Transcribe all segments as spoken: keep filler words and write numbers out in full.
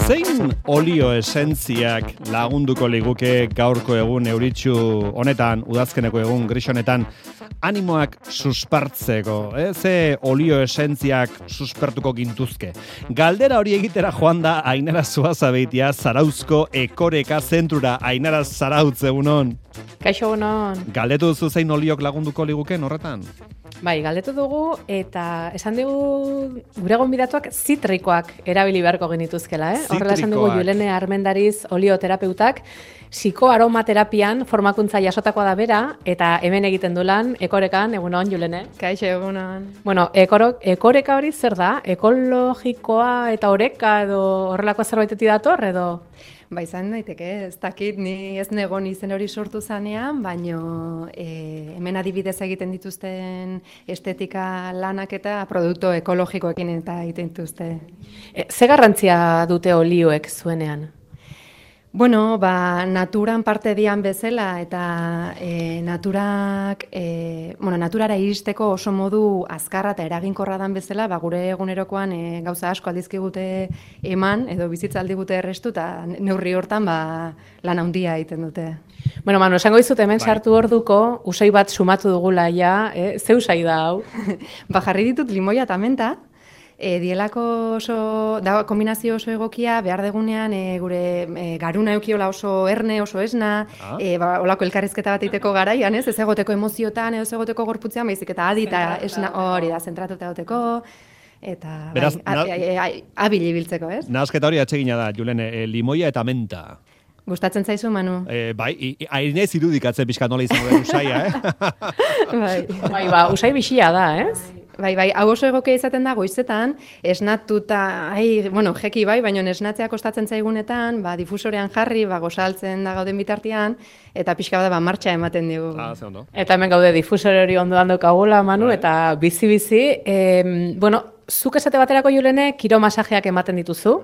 Zein olio esentziak lagunduko liguke gaurko egun euritsu honetan, udazkeneko egun gris honetan, animoak suspertzeko, eh? Ze olio esentziak suspertuko gintuzke. Galdera hori egitera joan da Ainara Zuazabeitia Zarauzko Ekoreka zentrura. Ainara, Zarautz, egunon. Kaixo, egunon. Galdetu duzu zein oliok lagunduko liguken horretan? Bai, galdetu dugu eta esan dugu gure gonbidatuak zitrikoak erabili beharko genituzkela, eh? Horrela esan dugu Julene Armendariz olioterapeutak, psikoaromaterapian formakuntza jasotakoa da bera, eta hemen egiten du lan Ekorekan, egunon, Julene. Kaixo, egunon. Bueno, ekoro, ekoreka hori zer da? Ekologikoa eta oreka edo horrelako zerbaitetik dator edo? Ba, izan daiteke, ez dakit, ni ez negon izen hori sortu zanean, baino e, hemen adibidez egiten dituzten estetika lanak eta produktu ekologikoekin eta egiten dituzte. E, ze garrantzia dute olioek zuenean? Bueno, ba, naturan parte dian bezala eta e, naturak, e, bueno, naturara iristeko oso modu azkarra eta eraginkorra dan bezala, ba, gure egunerokoan e, gauza asko aldizkigute eman, edo bizitza aldigute errestu, eta neurri hortan ba, lan handia egiten dute. Bueno, Manu, esango dizut hemen sartu orduko, usai bat sumatu dugula ja, eh? Ze usai da hau? Ba, jarri ditut limoia eta menta, E, dielako oso, da, kombinazio oso egokia, behar degunean e, gure e, garuna eukiola oso erne, oso esna, ah. e, ba, olako elkarrizketa bat iteko garaian, ez, ez egoteko emoziotan, ez egoteko gorputzean, baizik eta adi eta esna hori da, zentratuta egoteko, eta Beraz, bai, na... abili biltzeko, ez? Nahazketa hori atsegina da, Julene, e, limoia eta menta. Gustatzen zaizu, Manu? E, bai, hainez irudikatzen pixka nola izango den usaia, eh? bai. bai, ba, usai bixia da, ez? Bai, bai, hau oso egokia izaten da goizetan, esnatuta, ai, bueno, jeki bai, baina esnatzea kostatzen zaigunetan, ba, difusorean jarri, ba, gozaltzen da gauden bitartean, eta pixka bada, ba, martxa ematen digu. Ah, ze ondo. Eta hemen gaude difusore hori ondoan dokagula, Manu, bai. Eta bizi-bizi, eh, bueno, zuk esate baterako Julene, kiro masajeak ematen dituzu,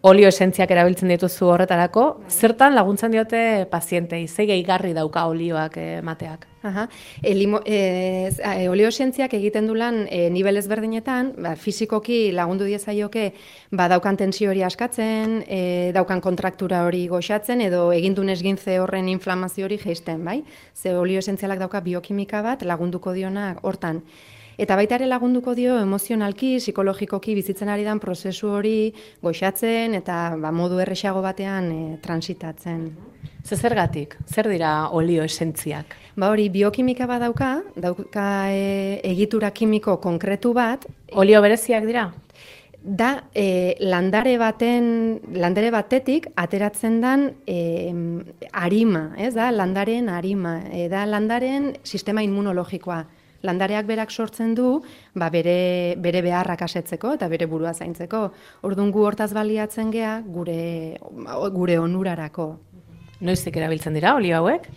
olio esentziak erabiltzen dituzu horretarako, zertan laguntzen diote pazientei, ze gehigarri dauka olioak emateak? Aha. E, limo, e, e, olio esentziak egiten du lan e, nivel ezberdinetan, ba, fizikoki lagundu diezaioke ba, daukan tensio hori askatzen, e, daukan kontraktura hori goxatzen, edo egindun esgintze horren inflamazio hori jeisten, bai? Ze olio esentzialak dauka biokimika bat lagunduko diona hortan. Eta baita ere lagunduko dio emozionalki, psikologikoki bizitzen ari dan prozesu hori goxatzen eta ba, modu erresago batean e, transitatzen. Ze zergatik? Zer dira olio esentziak? Ba hori, biokimika bat dauka, dauka e, egitura kimiko konkretu bat. Olio bereziak dira? Da, e, landare baten, landare batetik ateratzen dan e, arima, ez da, landaren arima, e, da landaren sistema immunologikoa. Landareak berak sortzen du, ba bere, bere beharrak asetzeko eta bere burua zaintzeko. Orduan gu hortaz baliatzen gea gure, gure onurarako. Noiztik erabiltzen dira olio hauek?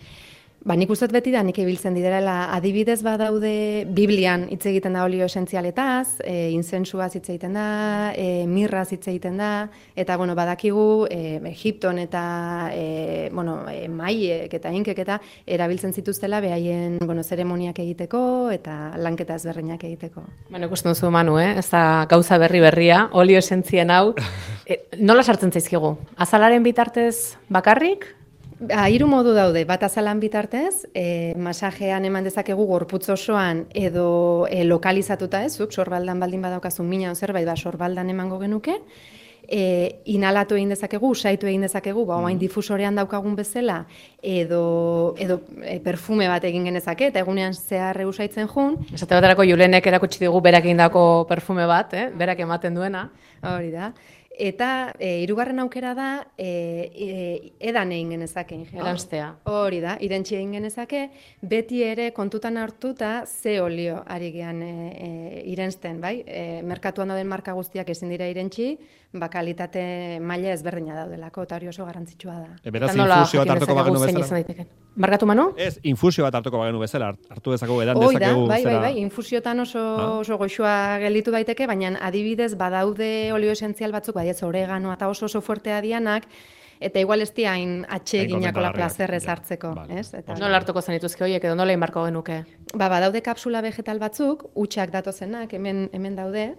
Ba, nik uste beti da nik ibiltzen direla, adibidez badaude Biblian hitz egiten da olio esentzialetaz, e, inzensuaz hitz egiten da, e, mirraz hitz egiten da, eta bueno, badakigu e, Egipton eta e, bueno, e, maiek eta inkek eta erabiltzen zituztela behaien bueno, zeremoniak egiteko eta lanketa ezberdinak egiteko. Bueno, ikusten duzu, Manu, eh? Ez da gauza berri berria, olio esentzien hau. E, nola sartzen zaizkigu? Azalaren bitartez bakarrik? Ha, hiru modu daude, bat azalan bitartez, e, masajean eman dezakegu gorputz osoan edo e, lokalizatuta ez, zuk sorbaldan baldin badaukazu mina zerbait, ba, sorbaldan emango genuke, e, inhalatu egin dezakegu, usaitu egin dezakegu, ba, oain difusorean daukagun bezala, edo, edo e, perfume bat egin genezake, eta egunean zehar usaitzen jun. Esate baterako Julenek erakutsi digu berak egindako perfume bat, eh? Berak ematen duena. Hori da. Eta e, hirugarren aukera da e, e, edan egin genezake. Eranstea. Hori da, irentsi egin genezake, beti ere kontutan hartuta ze olio ari gean e, e, irensten, bai? E, merkatuan dauden marka guztiak ezin dira irentsi, ba kalitate maila ezberdina daudelako, eta hori oso garrantzitsua da. E, beraz, infusio bat hartuko bagenu bezala? Markatu, Manu? Ez, infusio bat hartuko bagenu bezala, hartu dezakegu, edan Hoi da, dezakegu. bai, bai, bai, infusiotan oso, ah. oso goxua gelditu daiteke, baina adibidez badaude olio esentzial batzuk, bai ez oregano eta oso oso fuertea dianak, eta igual ez diain atxeginako la plazerrez hartzeko. Vale. Ez? Eta, nola hartuko zenituzke horiek edo nola inbarko genuke? Ba, badaude kapsula vegetal batzuk, utxak datozenak, hemen, hemen daude.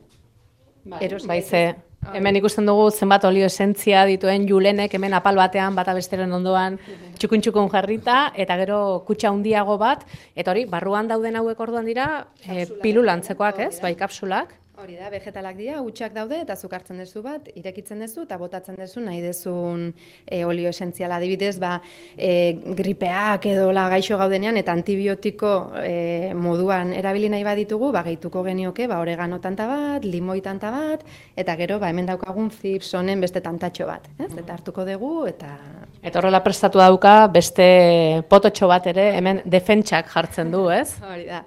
Bai, bai ze, Hemen ikusten dugu zenbat olio esentzia dituen Julenek hemen apal batean, bata besteren ondoan txukun-txukun jarrita, eta gero kutxa handiago bat, eta hori, barruan dauden hauek orduan dira, e, pilulantzekoak, ez? Bai, kapsulak. Hori da, vegetalak dira, hutsak daude, eta zuk hartzen duzu bat, irekitzen duzu, eta botatzen duzu nahi dezun e, olio esentziala. Adibidez, ba, e, gripeak edo la gaixo gaudenean, eta antibiotiko e, moduan erabili nahi baditugu, ba, gehituko genioke, ba, oregano tanta bat, limoi tanta bat, eta gero, ba, hemen daukagun Philipsonen beste tantatxo bat, ez? Eta hartuko dugu, eta... Eta horrela prestatu dauka, beste pototxo bat ere, hemen defentsak jartzen du, ez? Hori da.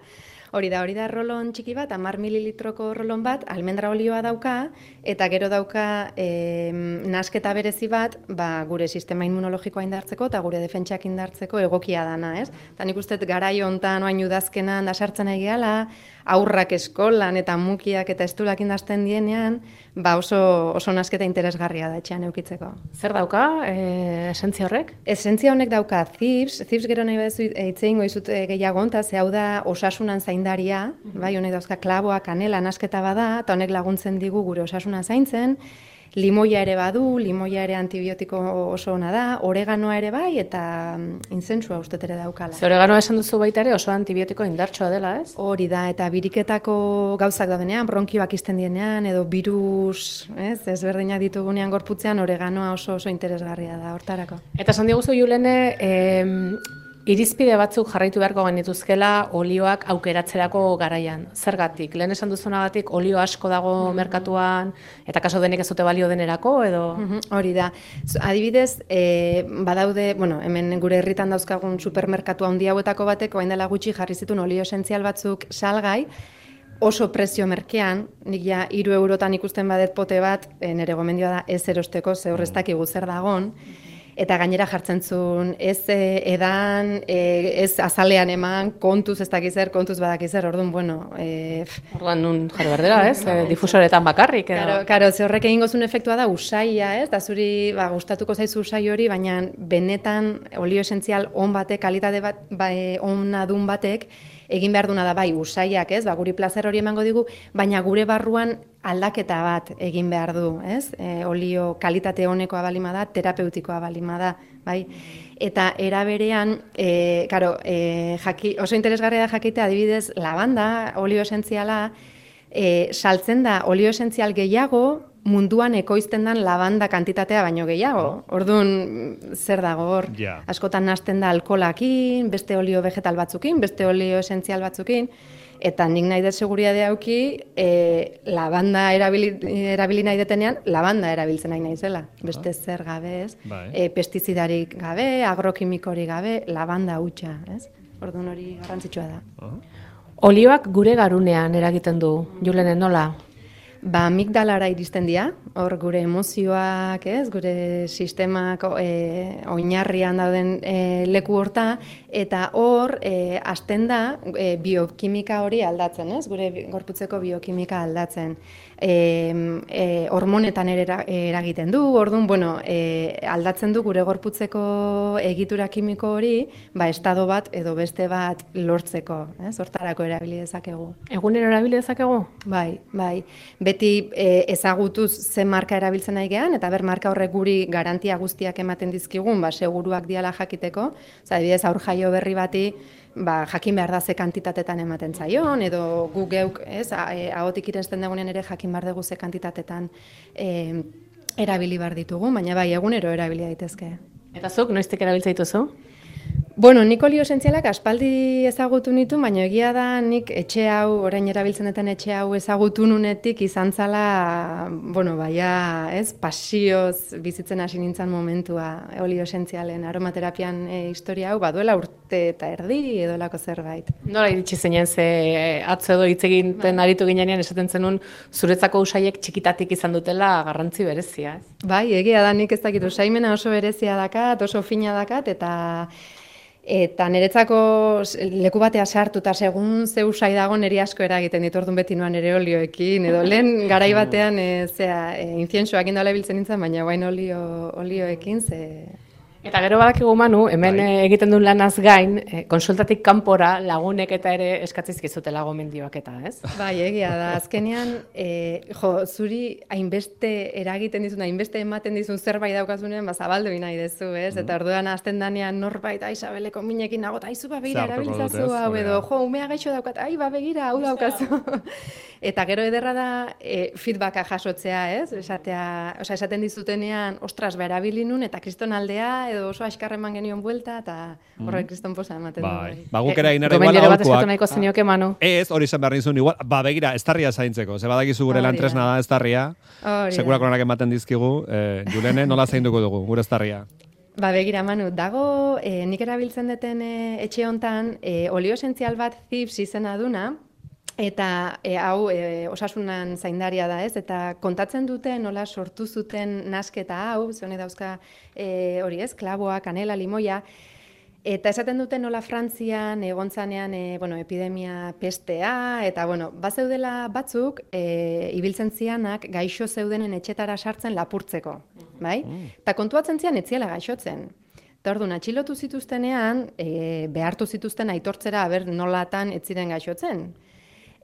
Hori da, hori da rolon txiki bat, hamar mililitroko rolon bat, almendra olioa dauka, eta gero dauka e, nasketa berezi bat, ba, gure sistema immunologikoa indartzeko eta gure defentsak indartzeko egokia dana, ez? Eta nik uste garai hontan oain udazkenan da sartzen egiala, aurrak eskolan eta mukiak eta estulak indazten dienean, ba oso, oso nasketa interesgarria da etxean eukitzeko. Zer dauka, e, esentzia horrek? Esentzia honek dauka zips, zips gero nahi baduzu hitze egingo dizut gehiago honta, ze hau da osasunan zaindaria, bai, honek dauzka klaboa, kanela, nasketa bada, eta honek laguntzen digu gure osasuna zaintzen. Limoia ere badu, limoia ere antibiotiko oso ona da, oreganoa ere bai, eta inzentsua ustet ere daukala. Ze oreganoa esan duzu baita ere oso antibiotiko indartsua dela, ez? Hori da, eta biriketako gauzak daudenean, bronkioak izten dienean, edo virus, ez, ezberdinak ditugunean gorputzean, oreganoa oso oso interesgarria da, hortarako. Eta esan diguzu, Julene, eh, irizpide batzuk jarraitu beharko genituzkela olioak aukeratzerako garaian. Zergatik? Lehen esan duzunagatik olio asko dago merkatuan, eta kaso denek ez dute balio denerako, edo? Hori da. Adibidez, e, badaude, bueno, hemen gure herritan dauzkagun supermerkatu handi hauetako batek, orain dela gutxi jarri zituen olio esentzial batzuk salgai, oso prezio merkean, nik ja hiru eurotan ikusten badet pote bat, e, nire gomendioa da ez erosteko, ze horreztak igu zer dagon, eta gainera jartzen zuen, ez e, edan, e, ez azalean eman, kontuz ez dakizer, kontuz badakizer, orduan, bueno... E, orduan nun jarri berdera, ez? E, difusoretan bakarrik, edo? Karo, karo, ze horrek egingo zuen efektua da usaia, ez? Da zuri, ba, gustatuko zaizu usai hori, baina benetan olio esentzial on batek, kalitate bat, ba, ona dun batek, egin behar duna da bai usaiak, ez? Ba, guri plazer hori emango digu, baina gure barruan aldaketa bat egin behar du, ez? E, olio kalitate honekoa balima da, terapeutikoa balima da, bai? Eta era berean, e, karo, e, jaki, oso interesgarria da jakitea, adibidez, lavanda, olio esentziala, e, saltzen da olio esentzial gehiago, munduan ekoizten den lavanda kantitatea baino gehiago. Orduan, zer dago hor? Yeah. Askotan nahasten da alkolakin, beste olio vegetal batzukin, beste olio esentzial batzukin, eta nik nahi dut seguridadea auki, e, lavanda erabili, erabili nahi detenean, lavanda erabiltzen nahi naizela. Beste zer gabe, ez? E, pestizidarik gabe, agrokimikorik gabe, lavanda hutsa, ez? Orduan hori garrantzitsua da. Uh-huh. Olioak gure garunean eragiten du, Julene, nola? Ba, amigdalara iristen dira, hor gure emozioak, ez, gure sistemak e, oinarrian dauden e, leku horta, eta hor, e, hasten da, e, biokimika hori aldatzen, ez, gure gorputzeko biokimika aldatzen. E, e, hormonetan ere eragiten du, orduan, bueno, e, aldatzen du gure gorputzeko egitura kimiko hori, ba, estado bat edo beste bat lortzeko, ez, hortarako erabili dezakegu. Egunero erabili dezakegu? Bai, bai. Beti e, ezagutuz ze marka erabiltzen nahi gehan, eta ber marka horrek guri garantia guztiak ematen dizkigun, ba, seguruak diala jakiteko. Oza, adibidez, aur jaio berri bati, ba, jakin behar da ze kantitatetan ematen zaion, edo gu geuk, ez, ahotik irensten dagoen ere jakin behar dugu ze kantitatetan e, erabili behar ditugu, baina bai, egunero erabili daitezke. Eta zuk, noiztik erabiltza dituzu? Bueno, nik olio esentzialak aspaldi ezagutu nitu, baina egia da nik etxe hau, orain erabiltzen duten etxe hau ezagutu nunetik izan zala, bueno, baia, ez, pasioz bizitzen hasi nintzen momentua olio esentzialen aromaterapian e, historia hau, baduela urte eta erdi edo lako zerbait. Nola iritsi zinen, ze atzo edo hitz egiten aritu ginean esaten zenun zuretzako usaiek txikitatik izan dutela garrantzi berezia, ez? Bai, egia da nik ez dakit usaimena oso berezia dakat, oso fina dakat, eta Eta niretzako leku batea sartu, eta segun ze usai dago niri asko eragiten ditu, orduan beti noan ere olioekin, edo lehen garai batean e, zea, e, inzientsuak indala biltzen nintzen, baina guain olio, olioekin, ze... Eta gero badakigu Manu, hemen bai. egiten duen lanaz gain, eh, konsultatik kanpora lagunek eta ere eskatzizkizutela gomendioak eta, ez? Bai, egia da. Azkenean, eh, jo, zuri hainbeste eragiten dizun, hainbeste ematen dizun zerbait daukazunean, ba, zabaldu nahi dezu, ez? Mm. Eta orduan azten danean norbait, ai, Isabeleko minekin nagot, aizu, ba, begira, erabiltzazu, hau edo, jo, umea gaixo daukat, ai, ba, begira, hau daukazu. Eta gero ederra da e, feedbacka jasotzea, ez? Esatea, osea, esaten dizutenean, ostras, ba, erabilinun, eta kriston aldea, edo oso askar eman genion buelta, eta horrek kriston posa ematen du. Bai, ba, guk ere egin ere igual aholkuak. Bat eskatu nahiko zenioke, Manu. Ez, hori izan behar nizun, igual, ba, begira, estarria zaintzeko, ze badakizu gure lan tresna da estarria, sekurako onak ematen dizkigu, eh, Julene, nola zainduko dugu, gure estarria. Ba, begira, Manu, dago, eh, nik erabiltzen duten eh, etxe hontan, eh, olio esentzial bat Thieves izena duna, eta e, hau e, osasunan zaindaria da, ez? Eta kontatzen dute nola sortu zuten nasketa hau, zone dauzka e, hori ez, klaboa, kanela, limoia, eta esaten dute nola Frantzian egontzanean e, bueno, epidemia pestea, eta bueno, bazeudela batzuk e, ibiltzen zianak gaixo zeudenen etxetara sartzen lapurtzeko, bai? Eta kontuatzen zian etziela gaixotzen. Eta orduan, atxilotu zituztenean, e, behartu zituzten aitortzera aber nolatan ez ziren gaixotzen.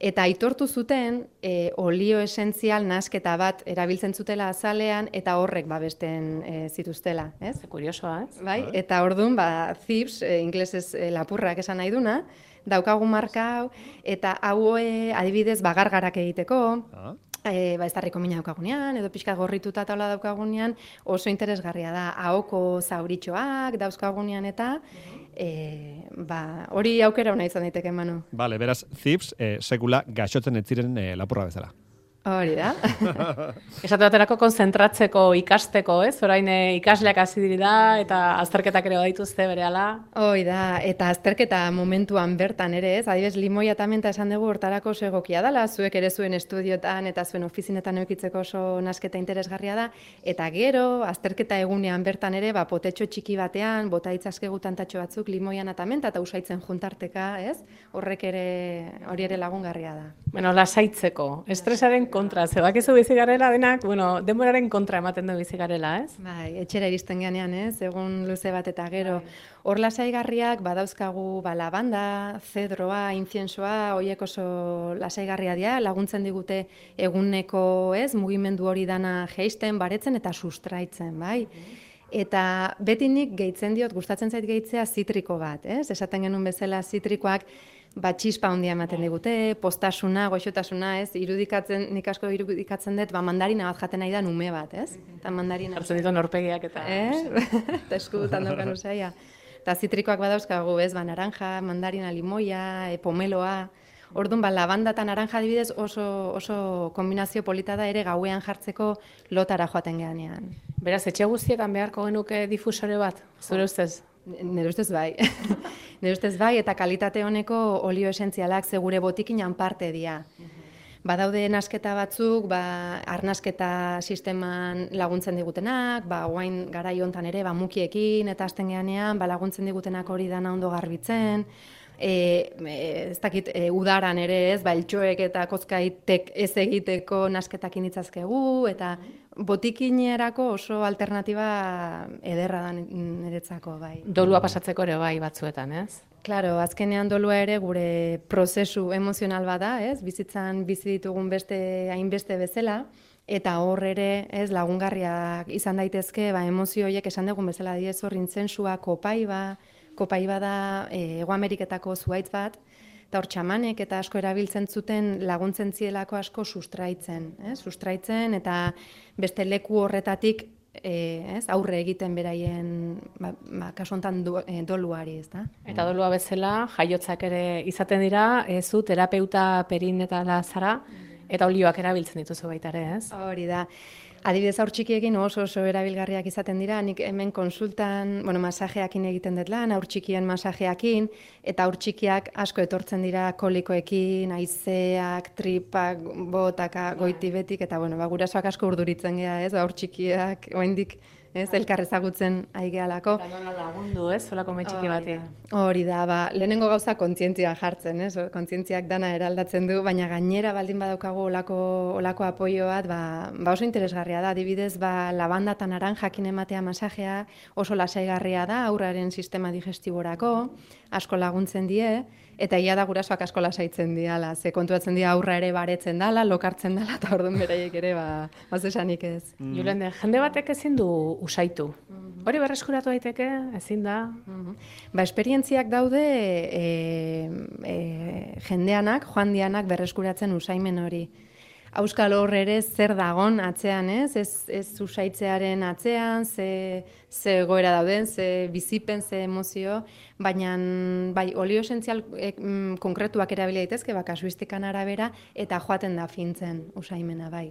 Eta aitortu zuten e, olio esentzial nasketa bat erabiltzen zutela azalean eta horrek babesten e, zituztela, ez? Kuriosoa, ez? Bai, eta orduan, ba, Thieves, e, inglesez e, lapurrak esan nahi duna, daukagu marka hau, eta hau e, adibidez bagargarak egiteko, ah. E, ba, ez darriko mina daukagunean, edo pixka gorrituta taula daukagunean, oso interesgarria da, ahoko zauritxoak dauzkagunean eta, e, ba, hori aukera hona izan daiteke, Manu. Bale, beraz, Thieves, e, sekula gaixotzen ez ziren e, lapurra bezala. Hori da. Esate baterako konzentratzeko ikasteko, ez? Orain ikasleak hasi dira eta azterketak ere badituzte berehala. Hoi da, eta azterketa momentuan bertan ere, ez? Adibez, limoia tamenta esan dugu hortarako oso egokia dela, zuek ere zuen estudiotan eta zuen ofizinetan eukitzeko oso nasketa interesgarria da, eta gero, azterketa egunean bertan ere, ba, potetxo txiki batean, bota itzazkegu tantatxo batzuk limoian atamenta eta usaitzen juntarteka, ez? Horrek ere, hori ere lagungarria da. Bueno, lasaitzeko, estresaren kontra, ze bakizu bizi garela denak, bueno, denboraren kontra ematen du bizi garela, ez? Bai, etxera iristen ganean, ez? Egun luze bat eta gero. Hor lasaigarriak badauzkagu ba, lavanda, zedroa, inziensoa, horiek oso lasaigarria dira, laguntzen digute eguneko, ez? Mugimendu hori dana jeisten, baretzen eta sustraitzen, bai? Eta beti nik gehitzen diot, gustatzen zait gehitzea zitriko bat, ez? Esaten genuen bezala zitrikoak ba, txispa handia ematen digute, postasuna, goxotasuna, ez? Irudikatzen, nik asko irudikatzen dut, ba, mandarina bat jaten nahi da nume bat, ez? Eta mandarina... Hartzen ditu norpegiak eta... Eh? Eta eskudutan daukan usaia. Eta zitrikoak badauzkagu, ez? Ba, naranja, mandarina, limoia, e, pomeloa... Orduan, ba, lavanda eta naranja adibidez oso, oso kombinazio polita da ere gauean jartzeko lotara joaten geanean. Beraz, etxe guztietan beharko genuke difusore bat, zure ustez? Nire ustez bai. Nire ustez bai, eta kalitate honeko olio esentzialak segure botikinan parte dira. Badaude nasketa batzuk, ba, arnasketa sisteman laguntzen digutenak, ba, guain garai hontan ere, ba, mukiekin eta hasten geanean, ba, laguntzen digutenak hori dana ondo garbitzen, E, ez dakit, e, udaran ere ez, ba, eltxoek eta kozkaitek ez egiteko nasketak initzazkegu, eta botikinerako oso alternatiba ederra da niretzako, bai. Dolua pasatzeko ere bai batzuetan, ez? Claro, azkenean dolua ere gure prozesu emozional bada, ez? Bizitzan bizi ditugun beste hainbeste bezala, eta hor ere, ez, lagungarriak izan daitezke, ba, emozio horiek esan dugun bezala diez hor intzensua, kopaiba, Kopaiba da Hego Ameriketako zuhaitz bat, eta hor txamanek eta asko erabiltzen zuten laguntzen zielako asko sustraitzen, eh? Sustraitzen eta beste leku horretatik eh, ez, aurre egiten beraien ba, ba, kasu honetan do, eh, doluari, ez da? Eta dolua bezala, jaiotzak ere izaten dira, ez zu terapeuta perin eta lazara, eta olioak erabiltzen dituzu baita ere, ez? Hori da. Adibidez, haur txikiekin oso oso erabilgarriak izaten dira, nik hemen konsultan, bueno, masajeakin egiten dut lan, haur txikien masajeakin, eta haur txikiak asko etortzen dira kolikoekin, haizeak, tripak, botaka, goiti betik, eta bueno, ba, gurasoak asko urduritzen gea, ez, haur txikiak, oraindik ez, elkar ezagutzen aigealako. Eta lagundu, ez, solako metxiki bati. Hori da, ba, lehenengo gauza kontzientzia jartzen, ez, kontzientziak dana eraldatzen du, baina gainera baldin badaukagu olako, olako apoio bat, ba, ba oso interesgarria da, adibidez, ba, labanda eta naranjakin ematea masajea oso lasaigarria da, aurraren sistema digestiborako, asko laguntzen die, eta ia da gurasoak asko lasaitzen diala, ze kontuatzen dira aurra ere baretzen dala, lokartzen dala, eta orduan beraiek ere, ba, baz esanik ez. Mm. Julen, jende batek ezin du usaitu. Mm-hmm. Hori berreskuratu daiteke, ezin da? Mm-hmm. Ba, esperientziak daude e, e, jendeanak, joan dianak berreskuratzen usaimen hori. Auskal hor ere zer dagon atzean, ez? Ez, ez usaitzearen atzean, ze, ze goera dauden, ze bizipen, ze emozio, baina bai, olio esentzial e, mm, konkretuak erabili daitezke, ba, kasuistikan arabera, eta joaten da fintzen usaimena, bai.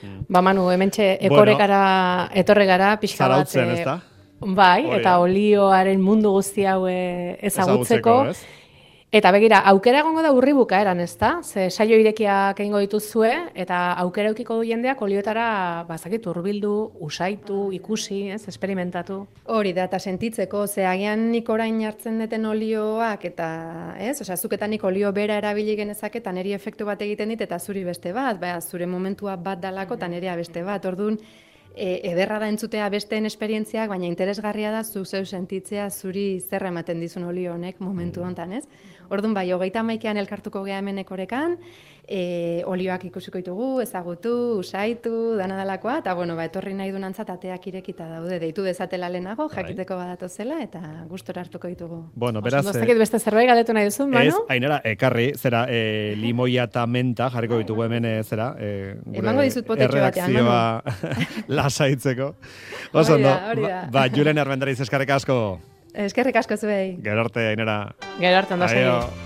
Mm. Ba, Manu, hementxe ekorekara, bueno, etorre gara, pixka bat. Zarautzen, ez da? Bai, Oria. Eta olioaren mundu guzti hau ezagutzeko. Ezagutzeko, eta begira, aukera egongo da urri bukaeran, ez da? Ze saio irekiak egingo dituzue, eta aukera eukiko du jendeak olioetara, bazakit, urbildu, usaitu, ikusi, ez, esperimentatu. Hori da, eta sentitzeko, ze agian nik orain hartzen deten olioak, eta, ez, osea, zuketan nik olio bera erabili genezak, eta neri efektu bat egiten dit, eta zuri beste bat, ba, zure momentua bat dalako, eta nerea beste bat, orduan, E, ederra da entzutea besteen esperientziak, baina interesgarria da zu zeu sentitzea zuri zer ematen dizun olio honek momentu honetan, ez? Orduan bai, hogeita hamaikean elkartuko gea hemen ekorekan, e, olioak ikusiko ditugu, ezagutu, usaitu, dana dalakoa, eta bueno, ba, etorri nahi dunantzat ateak irekita daude, deitu dezatela lehenago, jakiteko badatozela, eta gustora hartuko ditugu. Bueno, beraz... Oso, beste zerbait galdetu nahi duzun, Manu? Ez, Ainara, ekarri, zera, e, limoia eta menta jarriko ditugu hemen, e, zera, e, gure emango dizut potetxo batean, Manu. Lasaitzeko. Oso, no? Ba, ba, Julen Armendariz eskerrik asko. Eskerrik asko zuei. Gero arte, Ainara. Gero arte, ondo segi.